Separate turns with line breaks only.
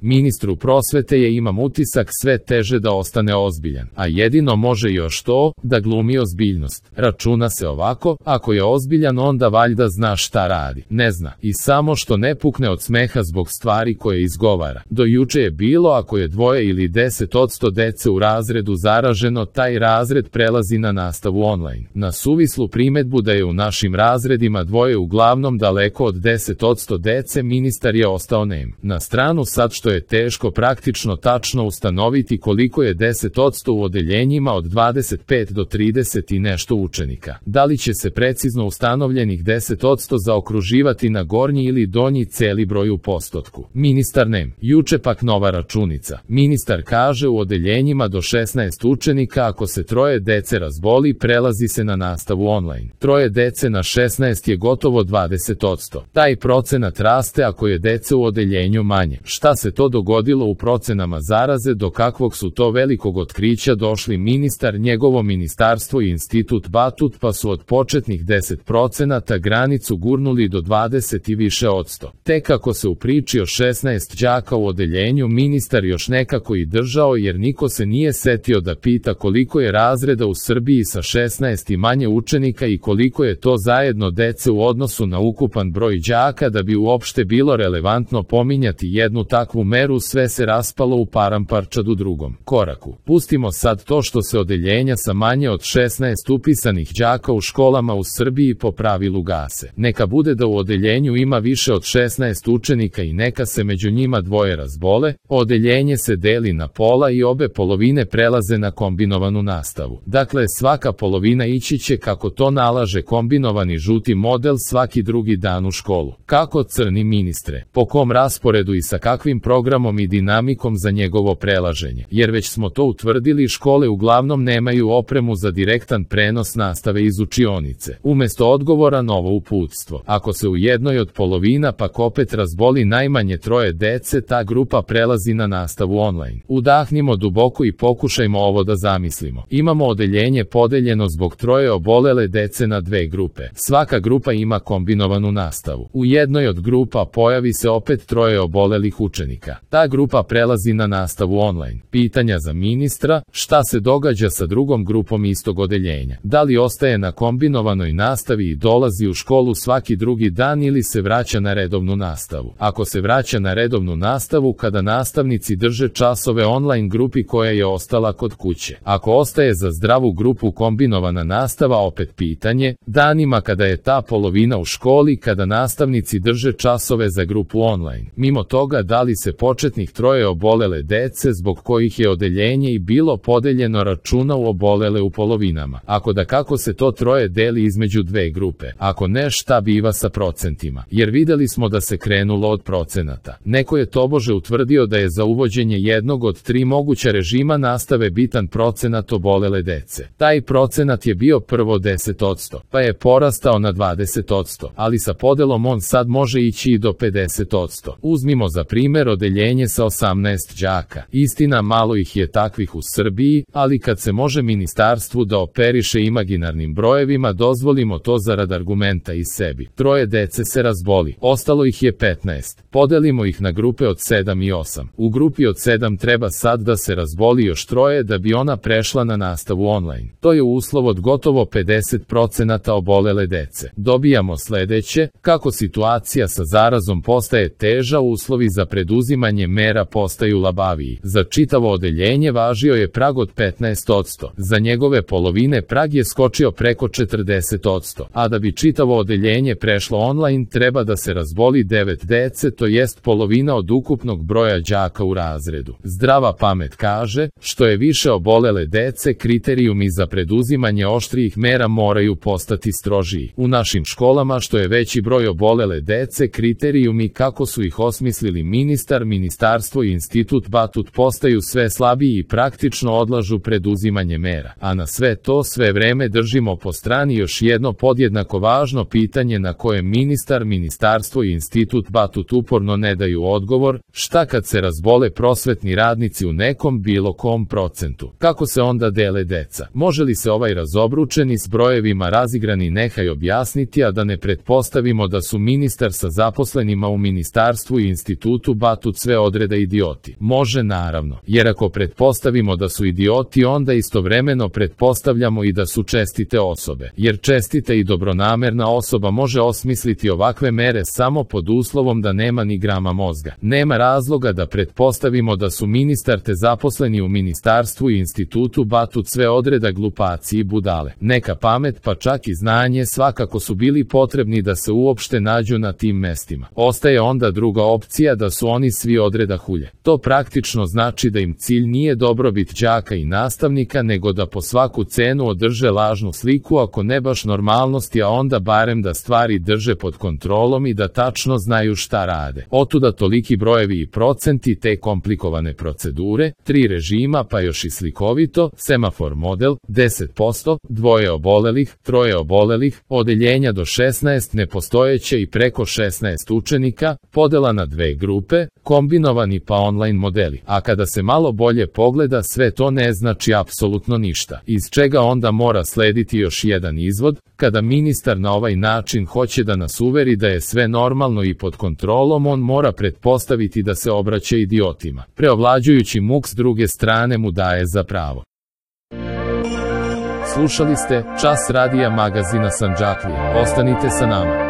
Ministru prosvete je, imam utisak, sve teže da ostane ozbiljan, a jedino može još to, da glumi ozbiljnost. Računa se ovako, ako je ozbiljan onda valjda zna šta radi. Ne zna, i samo što ne pukne od smeha zbog stvari koje izgovara. Do juče je bilo, ako je 2 ili 10% dece u razredu zaraženo, taj razred prelazi na nastavu online. Na suvislu primedbu da je u našim razredima 2 uglavnom daleko od 10% dece, ministar je ostao nem. Na stranu sad što je teško praktično tačno ustanoviti koliko je 10% u odeljenjima od 25 do 30 i nešto učenika. Da li će se precizno ustanovljenih 10% zaokruživati na gornji ili donji celi broj u postotku? Ministar nem. Juče pak nova računica. Ministar kaže u odeljenjima do 16 učenika ako se 3 dece razboli prelazi se na nastavu online. 3 dece na 16 je gotovo 20%. Taj procenat raste ako je dece u odeljenju manje. Šta se to dogodilo u procenama zaraze, do kakvog su to velikog otkrića došli ministar, njegovo ministarstvo i institut Batut, pa su od početnih 10% granicu gurnuli do 20 i više odsto. Tek ako se u priči o 16 đaka u odeljenju ministar još nekako i držao, jer niko se nije setio da pita koliko je razreda u Srbiji sa 16 i manje učenika i koliko je to zajedno dece u odnosu na ukupan broj đaka da bi uopšte bilo relevantno pominjati jednu takvu meru. Sve se raspalo u paramparčad u drugom koraku. Pustimo sad to što se odeljenja sa manje od 16 upisanih đaka u školama u Srbiji po pravilu gase. Neka bude da u odeljenju ima više od 16 učenika i neka se među njima 2 razbole, odeljenje se deli na pola i obe polovine prelaze na kombinovanu nastavu. Dakle, svaka polovina ići će, kako to nalaže kombinovani žuti model, svaki drugi dan u školu. Kako, crni ministre? Po kom rasporedu i sa kakvim programom i dinamikom za njegovo prelaženje? Jer već smo to utvrdili, škole uglavnom nemaju opremu za direktan prenos nastave iz učionice. Umesto odgovora novo uputstvo. Ako se u jednoj od polovina pak opet razboli najmanje 3 dece, ta grupa prelazi na nastavu online. Udahnimo duboko i pokušajmo ovo da zamislimo. Imamo odeljenje podeljeno zbog 3 obolele dece na 2 grupe. Svaka grupa ima kombinovanu nastavu. U jednoj od grupa pojavi se opet 3 obolelih učenika. Ta grupa prelazi na nastavu online. Pitanja za ministra: šta se događa sa drugom grupom istog odeljenja? Da li ostaje na kombinovanoj nastavi i dolazi u školu svaki drugi dan ili se vraća na redovnu nastavu? Ako se vraća na redovnu nastavu, kada nastavnici drže časove online grupi koja je ostala kod kuće. Ako ostaje za zdravu grupu kombinovana nastava, opet pitanje: danima kada je ta polovina u školi, kada nastavnici drže časove za grupu online. Mimo toga, da li se početnih 3 obolele dece zbog kojih je odeljenje i bilo podeljeno računa u obolele u polovinama? Ako da, kako se to 3 deli između 2 grupe? Ako ne, šta biva sa procentima? Jer videli smo da se krenulo od procenata. Neko je tobože utvrdio da je za uvođenje jednog od 3 moguća režima nastave bitan procenat obolele dece. Taj procenat je bio prvo 10%, pa je porastao na 20%, ali sa podelom on sad može ići i do 50%. Uzmimo za primer odeljenje sa 18 đaka. Istina, malo ih je takvih u Srbiji, ali kad se može ministarstvu da operiše imaginarnim brojevima, dozvolimo to zarad argumenta i sebi. 3 dece se razboli, ostalo ih je 15. Podelimo ih na grupe od 7 i 8. U grupi od 7 treba sad da se razboli još 3 da bi ona prešla na nastavu online. To je uslov od gotovo 50% obolele dece. Dobijamo sledeće: kako situacija sa zarazom postaje teža, uslovi za preduzimanje mera postaju labaviji. Za čitavo odeljenje važio je prag od 15%. Za njegove polovine prag je skočio preko 40%. A da bi čitavo odeljenje prešlo online, treba da se razboli 9 dece, to jest polovina od ukupnog broja đaka u razredu. Zdrava pamet kaže: što je više obolele dece, kriterijumi za preduzimanje oštrijih mera moraju postati strožiji. U našim školama što je veći broj obolele dece, kriterijumi kako su ih osmislili ministar, ministarstvo i institut Batut postaju sve slabiji i praktično odlažu preduzimanje mera. A na sve to sve vreme držimo po strani još jedno podjednako važno pitanje na koje ministar, ministarstvo i institut Batut uporno ne daju odgovor: šta kad se razbole prosvetni radnici u nekom bilo kom procentu? Kako se onda dele deca? Može li se ovaj razobručeni s brojevima razigrani nehaj objasniti, a da ne pretpostavimo da su ministar sa zaposlenima u ministarstvu i institutu Batut Batut sve odreda idioti. Može naravno, jer ako pretpostavimo da su idioti, onda istovremeno pretpostavljamo i da su čestite osobe, jer čestita i dobronamerna osoba može osmisliti ovakve mere samo pod uslovom da nema ni grama mozga. Nema razloga da pretpostavimo da su ministar te zaposleni u ministarstvu i institutu Batut sve odreda glupaci i budale. Neka pamet pa čak i znanje svakako su bili potrebni da se uopšte nađu na tim mestima. Ostaje onda druga opcija da su oni svi odreda hulje. To praktično znači da im cilj nije dobrobit đaka i nastavnika, nego da po svaku cenu održe lažnu sliku, ako ne baš normalnosti, a onda barem da stvari drže pod kontrolom i da tačno znaju šta rade. Otuda toliki brojevi i procenti, te komplikovane procedure, 3 režima pa još i slikovito, semafor model, 10%, 2 obolelih, 3 obolelih, odeljenja do 16 nepostojeće i preko 16 učenika, podela na 2 grupe, kombinovani pa online modeli. A kada se malo bolje pogleda, sve to ne znači apsolutno ništa. Iz čega onda mora slediti još jedan izvod: kada ministar na ovaj način hoće da nas uveri da je sve normalno i pod kontrolom, on mora pretpostaviti da se obraća idiotima. Preovlađujući muk s druge strane mu daje za pravo. Slušali ste Čas radija magazina Sandžaklije. Ostanite sa nama.